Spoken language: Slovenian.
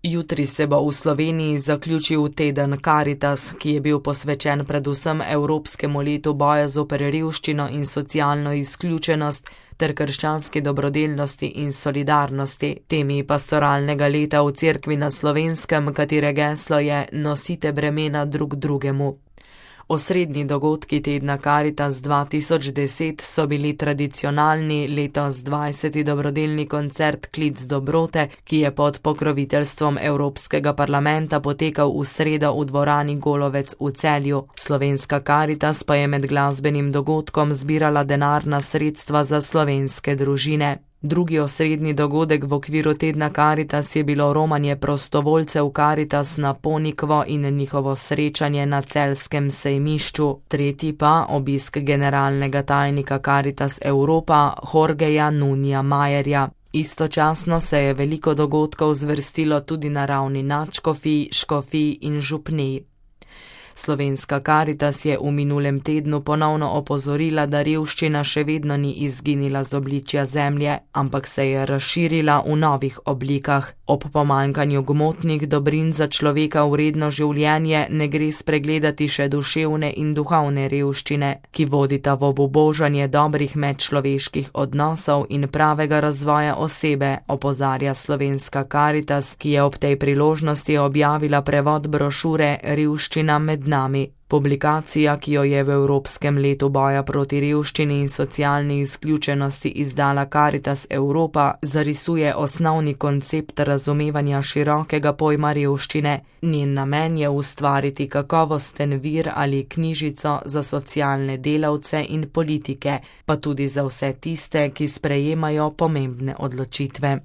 Jutri se bo v Sloveniji zaključil teden Karitas, ki je bil posvečen predvsem Evropskemu letu boja zoper revščino in socialno izključenost ter krščanski dobrodelnosti in solidarnosti. Temi pastoralnega leta v Cerkvi na Slovenskem, katere geslo je Nosite bremena drug drugemu. Osrednji dogodki tedna Karitas 2010 so bili tradicionalni letos 20. dobrodelni koncert Klic dobrote, ki je pod pokroviteljstvom Evropskega parlamenta potekal v sredo v dvorani Golovec v Celju. Slovenska Karitas pa je med glasbenim dogodkom zbirala denarna sredstva za slovenske družine. Drugi osrednji dogodek v okviru tedna Karitas je bilo romanje prostovoljcev Karitas na Ponikvo in njihovo srečanje na celjskem sejmišču. Tretji pa obisk generalnega tajnika Karitas Evropa Jorgeja Nunija Majerja. Istočasno se je veliko dogodkov zvrstilo tudi na ravni nadškofij, škofij in župnij. Slovenska Karitas je v minulem tednu ponovno opozorila, da revščina še vedno ni izginila z obličja zemlje, ampak se je razširila v novih oblikah. Ob pomanjkanju gmotnih dobrin za človeka vredno življenje ne gre spregledati še duševne in duhovne revščine, ki vodita v obubožanje dobrih medčloveških odnosov in pravega razvoja osebe, opozarja Slovenska Karitas, ki je ob tej priložnosti objavila prevod brošure Revščina med nami. Publikacija, ki jo je v Evropskem letu boja proti revščini in socialni izključenosti izdala Karitas Evropa, zarisuje osnovni koncept razumevanja širokega pojma revščine. Njen namen je ustvariti kakovosten vir ali knjižico za socialne delavce in politike, pa tudi za vse tiste, ki sprejemajo pomembne odločitve.